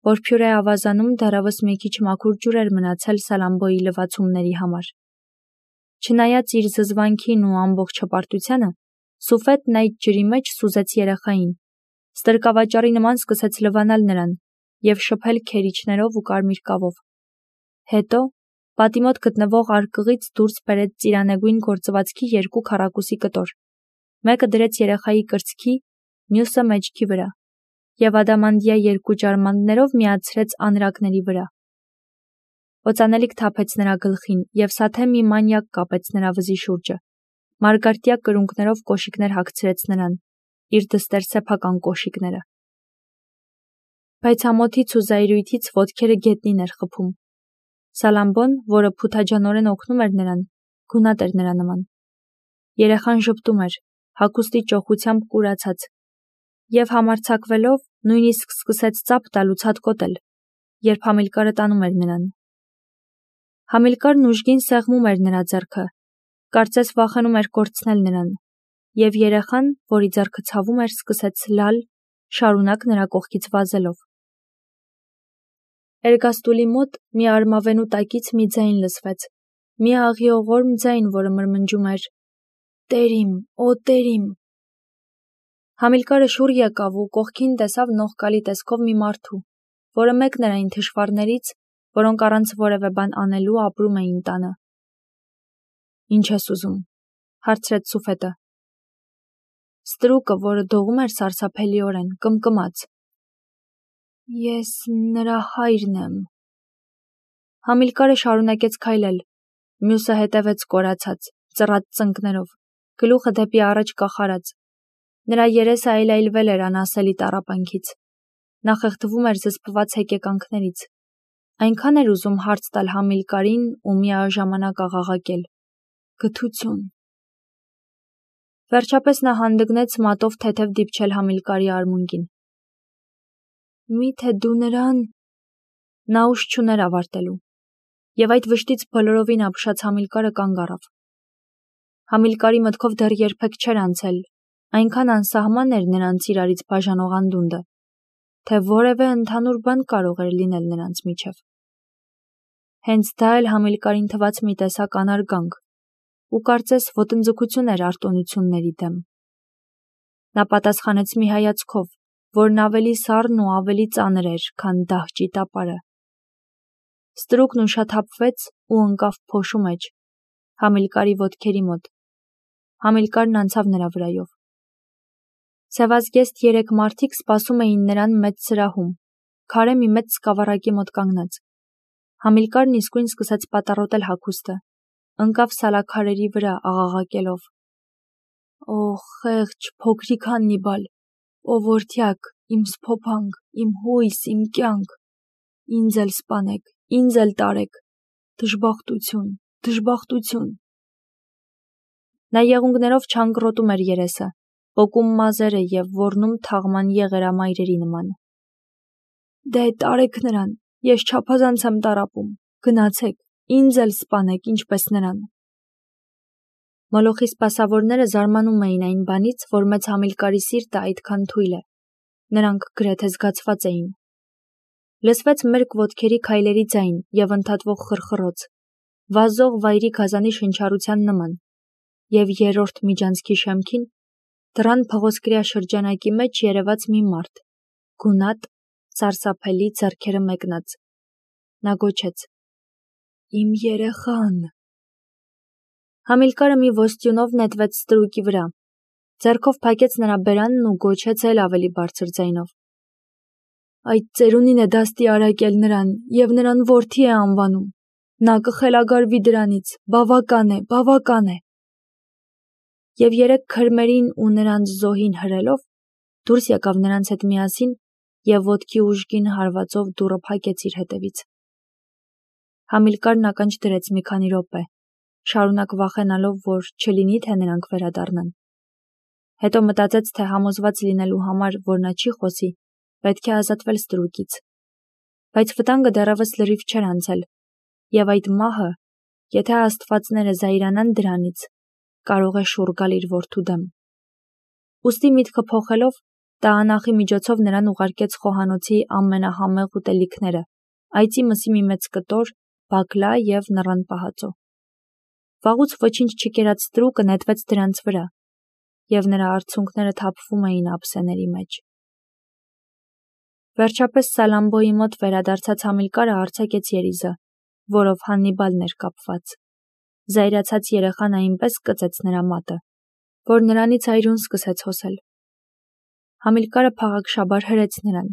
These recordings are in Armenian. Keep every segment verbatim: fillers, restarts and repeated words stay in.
որ փյուրե ավազանում դեռևս մի քիչ մաքուր ջուր էր մնացել Սալամբոյի լվացումների համար։ Չնայած իր զզվանքին ու ամբողջ հպարտությանը, Սուֆետն այդ ջրի մեջ սուզեց երեխային, ստրկավաճառի նման սկսեց լվանալ նրան և շփել քերիչներով ու կարմիր կավով։ Հետո պատի մոտ գտնվող արկղից դուրս բերեց ծիրանեգույն գործվածքի երկու քառակուսի կտոր, մեկը դրեց երեխայի կրծքի, մյուսը մեջքի վրա, և ադամանդյա երկու ջարմանդներով միացրեց անրակների վրա։ Օծանելիք թափեց նրա գլխին և սաթե մի մանյակ կապեց նրա վզի շուրջը, մարգարտյա կրունկներով կոշիկներ հագցրեց նրան, իր դստեր սեփական կոշիկները։ Բայց ամոթից ու զայրույթից ոտքերը գետնին էր խփում։ Սալամբոն, որը փութաջանորեն օգնում էր նրան, գունատ էր նրա նման։ Երեխան ժպտում էր, հագուստի ճոխությամբ կուրացած, և համարձակվելով նույնիսկ սկսեց ծափ տալ ու ցատկոտել, երբ Համիլկարը տանում էր նրան։ Համիլկարն ուժգին սեղմում էր նրա ձեռքը, կարծես վախենում էր կորցնել նրան, և երեխան, որի ձեռքը ցավում էր, սկսեց լալ, շարունակ նրա կողքից վազելով։ Էրգաստուլի մոտ մի արմավենու տակից մի ձայն լսվեց, մի աղիողորմ ձայն, որը մրմնջում էր. «Տեր իմ, օ Տեր իմ»։ Համիլկարը շուռ եկավ ու կողքին տեսավ նողկալի տեսքով մի մարդու, որը մեկն էր այն թշվառներից, որոնք առանց որևէ բան անելու ապրում էին տանը։ «Ինչ ես ուզում», հարցրեց Սուֆետը։ Ստրուկը, որը դողում էր սարսափելիորեն, կմկմաց. «Ես նրա հայրն եմ»։ Համիլկարը շարունակեց քայլել, մյուսը հետևեց կորացած, ծռած ծնկներով, գլուխը դեպի առաջ կախարած։ Նրա երեսը այլայլվել էր անասելի տառապանքից։ Նա խեղդվում էր զսպված հեկեկանքներից։ Այնքան էր ուզում հարց տալ Համիլկարին ու միաժամանակ աղաղակել. «Գթություն»։ Վերջապես նա հանդգնեց մատով թեթև դիպչել Համիլկարի արմունկին։ «Մի՞թե դու նրան»։ Նա ուժ չուներ ավարտելու, և այդ վշտից բոլորովին ապշած Համիլկարը կանգ առավ։ Համիլկարի մտքով դեռ երբեք չէր անցել, այնքան անսահման էր նրանց իրարից բաժանող անդունդը, թե որևէ ընդհանուր բան կարող էր լինել նրանց միջև։ Հենց դա էլ Համիլկարին թվաց մի տեսակ անարգանք, ու կարծես ոտնձգություն էր արտոնությունների դեմ։ Նա պատասխանեց մի հայացքով, որն ավելի սառն ու ավելի ծանր էր, քան դահճի տապարը։ Ստրուկն ուշաթափվեց ու ընկավ փոշու մեջ, Համիլկարի ոտքերի մոտ։ Համիլկարն անցավ նրա վրայով։ Սևազգեստ երեք մարդիկ սպասում էին նրան մեծ սրահում, քարե մի մեծ սկավառակի մոտ կանգնած։ Համիլկարն իսկույն սկսեց պատառոտել հագուստը, ընկավ սալաքարերի վրա աղաղակելով. «Օ, խեղճ, փոքրիկ Հաննիբալ, օ որդյակ, իմ սփոփանք, իմ հույս, իմ կյանք, ինձ էլ սպանեք, ինձ էլ տարեք, դժբախտություն, դժբախտություն»։ Նա եղունգներով չանկռոտում էր երեսը, պոկում մազերը և ոռնում թաղման եղերամայրերի նման։ «Դե, տարեք նրան, ես չափազանց եմ տառապում, գնացեք, ինձ էլ սպանեք, ինչպես նրան»։ Մոլոխի սպասավորները զարմանում էին այն բանից, որ մեծ Համիլկարի սիրտը այդքան թույլ է։ Նրանք գրեթե զգացված էին։ Լսվեց մերկ ոտքերի քայլերի ձայն և ընդհատվող խռխռոց, վազող վայրի գազանի շնչառության նման, և երրորդ միջանցքի շեմքին դռան փղոսկրյա շրջանակի մեջ երևաց մի մարդ, գունատ, սարսափելի, ձեռքերը մեկնած։ Նա գոչեց. «Իմ երեխան»։ Համիլկարը մի ոստյունով նետվեց ստրուկի վրա, ձեռքով փակեց նրա բերանն ու գոչեց էլ ավելի բարձր ձայնով. «Այդ ծերունին է դաստի արակել նրան և նրան որդի է անվանում, նա կխելագարվի դրանից, բավական է, բավական է»։ Եվ երեք քրմերին ու նրանց զոհին հրելով, դուրս եկավ նրանց հետ միասին և ոտքի ուժգին հարվածով դուռը փակեց իր հետևից։ Համիլկարն ականջ դրեց մի քանի րոպե, շարունակ վախենալով, որ չլինի, թե նրանք վերադառնան։ Հետո մտածեց, թե համոզված լինելու համար, որ նա չի խոսի, պետք է ազատվել ստրուկից։ Բայց վտանգը դեռևս լրիվ չէր անցել, և այդ մահը, եթե աստվածները զայրանան դրանից, կարող է շուռ գալ իր որդու դեմ։ Ուստի միտքը փոխելով, Տահանախի միջոցով նրան ուղարկեց խոհանոցի ամենահամեղ ուտելիքները, այծի մսի մի մեծ կտոր, բակլա և նռան պահածո։ Վաղուց ոչինչ չկերած ստրուկը նետվեց դրանց վրա, և նրա արցունքները թափվում էին ափսեների մեջ։ Վերջապես Սալամբոյի մոտ վերադարձած Համիլկարը արձակեց երիզը, որով Հաննիբալն էր կապված։ Զայրացած երեխան այնպես կծեց նրա մատը, որ նրանից այրուն սկսեց հոսել։ Համիլկարը փաղաքշաբար հրեց նրան։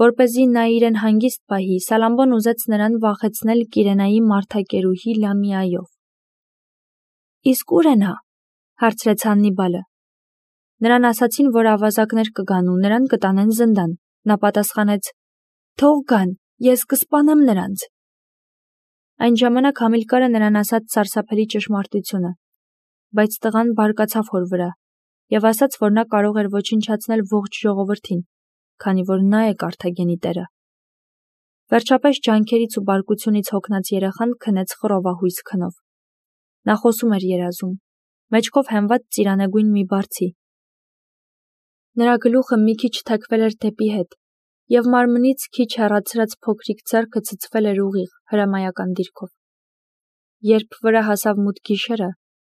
Որպեսզի նա իրեն հանգիստ պահի, Սալամբոն ուզեց նրան վախեցնել Կիրենայի մարդակերուհի Լամիայով։ Իսկ ո՞ւր է նա, հարցրեց Հաննիբալը։ Նրան ասացին, որ ավազակներ կգան ու նրան կտանեն զնդան։ Նա պատասխանեց. Թող գան, ես կսպանեմ նրանց։ Այն ժամանակ Համիլկարը նրան ասաց սարսափելի ճշմարտությունը, բայց տղան բարկացավ հոր վրա և ասաց, որ նա կարող էր ոչնչացնել ողջ ժողովրդին, քանի որ նա է Կարթագենի տերը։ Վերջապես ջանքերից ու բարկությունից հոգնած երեխան քնեց խռովահույս քնով։ Նա խոսում էր երազում, մեջքով հենված ծիրանագույն մի բարձի։ Նրա գլուխը մի քիչ թեքվել էր դեպի հետ, և մարմնից քիչ հեռացրած փոքրիկ ձեռքը ցցվել էր ուղիղ, հրամայական դիրքով։ Երբ վրա հասավ մութ գիշերը,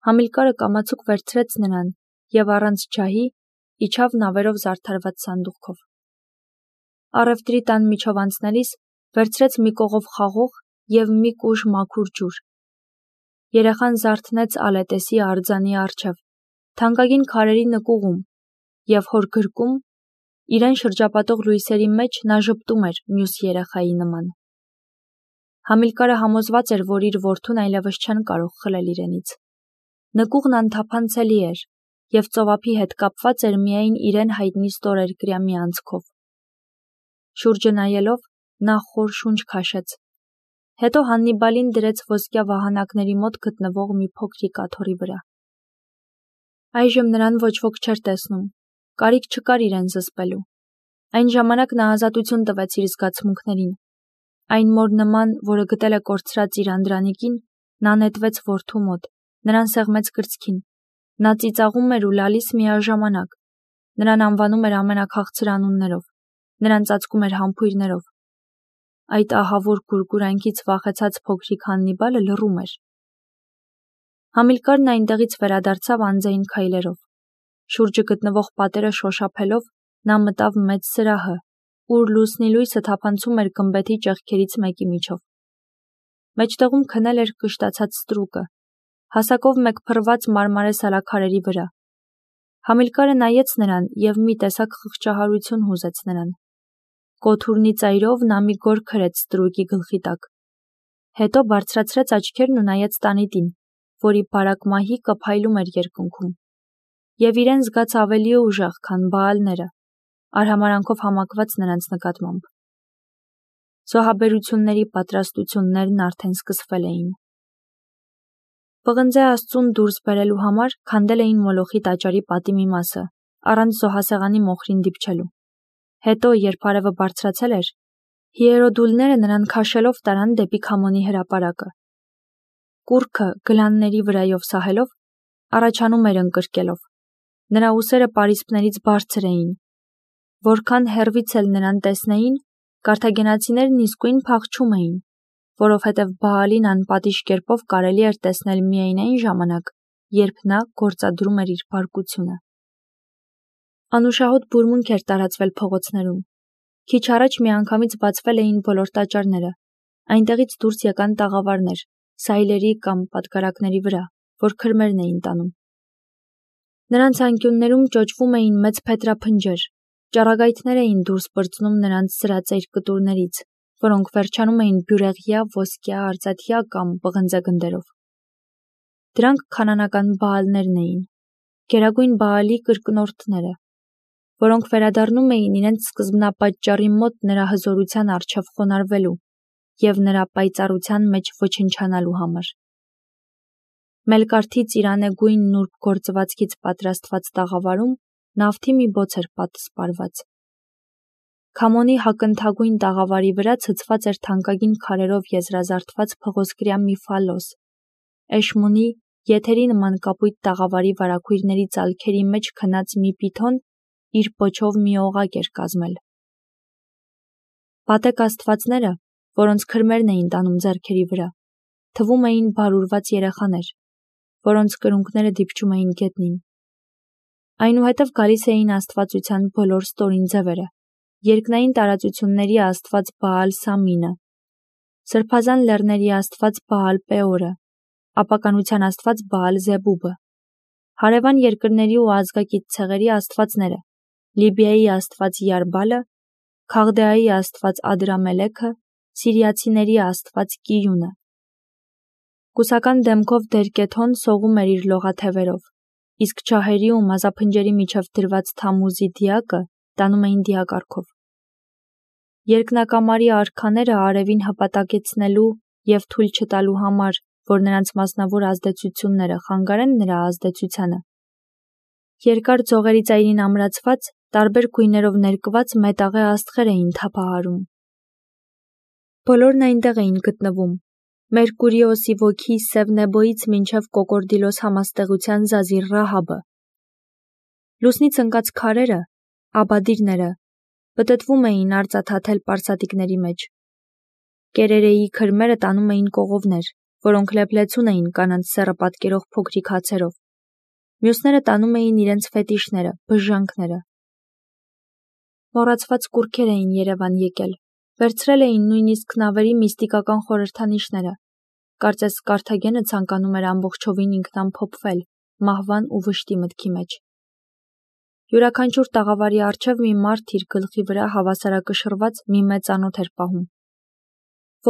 Համիլկարը կամացուկ վերցրեց նրան և առանց ջահի իջավ նավերով զարդարված սանդուղքով։ Առևտրի տան միջով անցնելիս վերցրեց մի կողով խաղող և մի կուժ մաքուր ջուր։ Երեխան զարթնեց ալետեսի արձանի առջև, թանկագին քարերի նկուղում, և հոր գրկում, իրեն շրջապատող լույսերի մեջ նա ժպտում էր մյուս երեխայի նման։ Համիլկարը համոզված էր, որ իր որդուն այլևս չեն կարող խլել իրենից։ Նկուղն անթափանցելի էր, և ծովափի հետ կապված էր միայն իրեն հայտնի ստորերկրյա մի անցքով։ Շուրջը նայելով, նա խոր շունչ քաշեց։ Հետո Հաննիբալին դրեց ոսկյա վահանակների մոտ գտնվող մի փոքրիկ աթոռի վրա։ Այժմ նրան ոչ ոք չէր տեսնում, կարիք չկար իրեն զսպելու։ Այն ժամանակ նա ազատություն տվեց իր զգացմունքներին։ Այն մոր նման, որը գտել է կորցրած իր անդրանիկին, նա նետվեց որդու մոտ, նրան սեղմեց կրծքին։ Նա ծիծաղում էր ու լալիս միաժամանակ։ Նրան անվանում էր ամենաքաղցր անուններով, նրան ծածկում էր համբույրներով։ Այդ ահավոր գուրգուրանքից վախեցած փոքրիկ Հաննիբալը լռում էր։ Համիլկարն այնտեղից վերադարձավ անձայն քայլերով։ Շուրջը գտնվող պատերը շոշափելով, նա մտավ մեծ սրահը, ուր լուսնի լույսը թափանցում էր գմբեթի ճեղքերից մեկի միջով։ Մեջտեղում քնել էր կշտացած ստրուկը, հասակով մեկ փռված մարմարե սալաքարերի վրա։ Համիլկարը նայեց նրան և մի տեսակ խղճահարություն հուզեց նրան։ Կոթուրնի ծայրով նա մի գոր քրեց ստրուկի գլխի տակ։ Հետո բարձրացրեց աչքերն ու նայեց տանիտին, որի բարակ մահիկը փայլում էր երկնքում, և իրեն զգաց ավելի ուժեղ, քան Բաալները, արհամարհանքով համակված նրանց նկատմամբ։ Զոհաբերությունների պատրաստություններն արդեն սկսվել էին։ Պղնձե Աստծուն դուրս բերելու համար քանդել էին Մոլոխի տաճարի պատի մի մասը, առանց զոհասեղանի մոխրին դիպչելու։ Հետո, երբ արևը բարձրացել էր, հիերոդուլները նրան քաշելով տարան դեպի Քամոնի հրապարակը։ Կուռքը գլանների վրայով սահելով, առաջանում էր ընկրկելով։ Նրա ուսերը պարիսպներից բարձր էին։ Որքան հեռվից էլ նրան տեսնեին, կարթագենացիներն իսկույն փախչում էին, որովհետև Բաալին անպատիժ կերպով կարելի էր տեսնել միայն այն ժամանակ, երբ նա գործադրում էր իր բարկությունը։ Անուշահոտ բուրմունք էր տարածվել փողոցներում։ Քիչ առաջ միանգամից բացվել էին բոլոր տաճարները։ Այնտեղից դուրս եկան տաղավարներ, սայլերի կամ պատգարակների վրա, որ քրմերն էին տանում։ Նրանց անկյուններում ճոճվում էին մեծ փետրափնջեր, ճառագայթներ էին դուրս պրծնում նրանց սրածայր կտուրներից, որոնք վերջանում էին բյուրեղյա, ոսկյա, արծաթյա կամ պղնձե գնդերով։ Դրանք քանանական Բաալներն էին, գերագույն Բաալի կրկնորդները, որոնք վերադառնում էին իրենց սկզբնապատճառի մոտ նրա հզորության առջև խոնարհվելու և նրա պայծառության մեջ ոչնչանալու համար։ Մելկարթի ծիրանեգույն նուրբ գործվածքից պատրաստված տաղավարում նավթի մի բոց էր պատսպարված։ Քամոնի հակնդհագույն տաղավարի վրա ցցված էր թանկագին քարերով եզրազարդված փղոսկրյա մի ֆալոս։ Էշմունի եթերի նման կապույտ տաղավարի վարագույրների ծալքերի մեջ քնած մի պիթոն իր պոչով մի օղակ էր կազմել։ Պատեկ աստվածները, որոնց քրմերն էին տանում ձեռքերի վրա, թվում էին բարուրված երեխաներ, որոնց կրունկները դիպչում էին գետնին։ Այնուհետև գալիս էին աստվածության բոլոր ստորին ձևերը, երկնային տարածությունների աստված Բաալ Սամինը, սրբազան լեռների աստված Բաալ Պեորը, ապականության աստված Բաալ Զեբուբը, հարևան երկրների ու ազգակից ցեղերի աստվածները, Լիբիայի աստված Յարբալը, Քաղդեայի աստված Ադրամելեքը, սիրիացիների աստված Կիյունը։ Կուսական դեմքով Դերկեթոն սողում էր իր լողաթևերով, իսկ ջահերի ու մազափնջերի միջև դրված Թամուզի դիակը տանում էին դիակառքով։ Երկնակամարի արքաները արևին հպատակեցնելու և թույլ չտալու համար, որ նրանց մասնավոր ազդեցությունները խանգարեն նրա ազդեցությանը, երկար ձողերի ծայրին ամրացված, տարբեր գույներով ներկված մետաղե աստղեր էին թափահարում։ Բոլորն այնտեղ էին գտնվում, Մերկուրիոսի ոգի Սևնեբոյից մինչև Կոկորդիլոս համաստեղության Զազիր Ռահաբը։ Լուսնից ընկած քարերը, աբադիրները, պտտվում էին արծաթաթել պարսատիկների մեջ։ Կերերեի քրմերը տանում էին կողովներ, որոնք լեփլեցուն էին կանանց սեռը պատկերող փոքրիկ հացերով։ Մյուսները տանում էին իրենց ֆետիշները, բժժանքները։ Մոռացված կուռքեր էին Երևան եկել, վերցրել էին նույնիսկ նավերի միստիկական խորհրդանիշները։ Կարծես Կարթագենը ցանկանում էր ամբողջովին ինքնամփոփվել մահվան ու վշտի մտքի մեջ։ Յուրաքանչյուր տաղավարի առջև մի մարդ իր գլխի վրա հավասարակշռված մի մեծ անոթ էր պահում,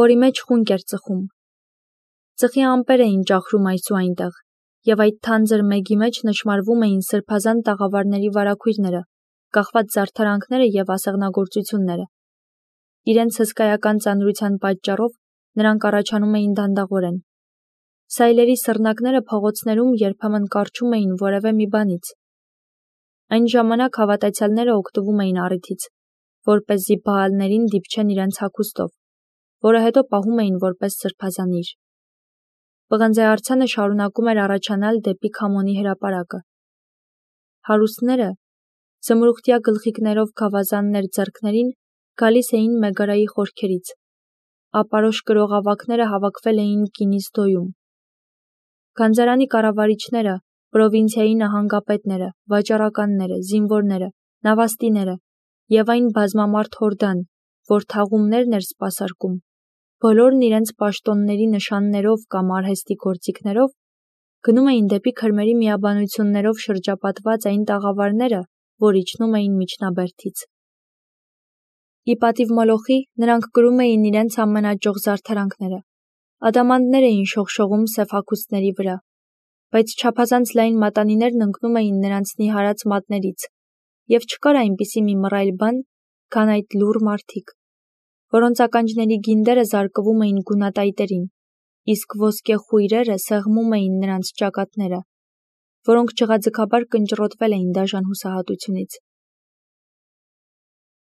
որի մեջ խունկ էր ծխում։ Ծխի ամպեր էին ճախրում այս ու այնտեղ, և այդ թանձր մեգի մեջ նշմարվում էին սրբազան տաղավարների վարագույրները, կախված զարդարանքները և ասեղնագործությունները։ Իրենց հսկայական ծանրության պատճառով նրանք առաջանում էին դանդաղորեն։ Սայլերի սռնակները փողոցներում երբեմն կառչում էին որևէ մի բանից։ Այն ժամանակ հավատացյալները օգտվում էին առիթից, որպեսզի Բաալներին դիպչեն իրենց հագուստով, որը հետո պահում էին որպես սրբազանիր։ Պղնձե արձանը շարունակում էր առաջանալ դեպի Քամոնի հրապարակը։ Հարուստները, զմրուխտյա գլխիկներով գավազաններ ձեռքներին, գալիս էին Մեգարայի խորքերից։ Ապարոշ կրողավակները հավաքվել էին Կինիսդոյում։ Գանձարանի կառավարիչները, պրովինցիայի նահանգապետները, վաճառականները, զինվորները, նավաստիները և այն բազմամարդ հորդան, որ թաղումներն էր սպասարկում, բոլորն իրենց պաշտոնների նշաններով կամ արհեստի գործիքներով գնում էին դեպի քրմերի միաբանություններով շրջապատված այն տաղավարները, որ իջնում էին միջնաբերդից։ Ի պատիվ Մոլոխի նրանք կրում էին իրենց ամենաճոխ զարդարանքները, ադամանդներ էին շողշողում սև հագուստների վրա, բայց չափազանց լայն մատանիներն ընկնում էին նրանց նիհարած մատներից, և չկար այնպիսի մի մռայլ բան, քան այդ լուռ մարդիկ, որոնց ականջների գինդերը զարկվում էին գունատայտերին, իսկ ոսկե խույրերը սեղմում էին նրանց ճակատները, որոնք ջղաձգաբար կնճռոտվել էին դաժան հուսահատությունից։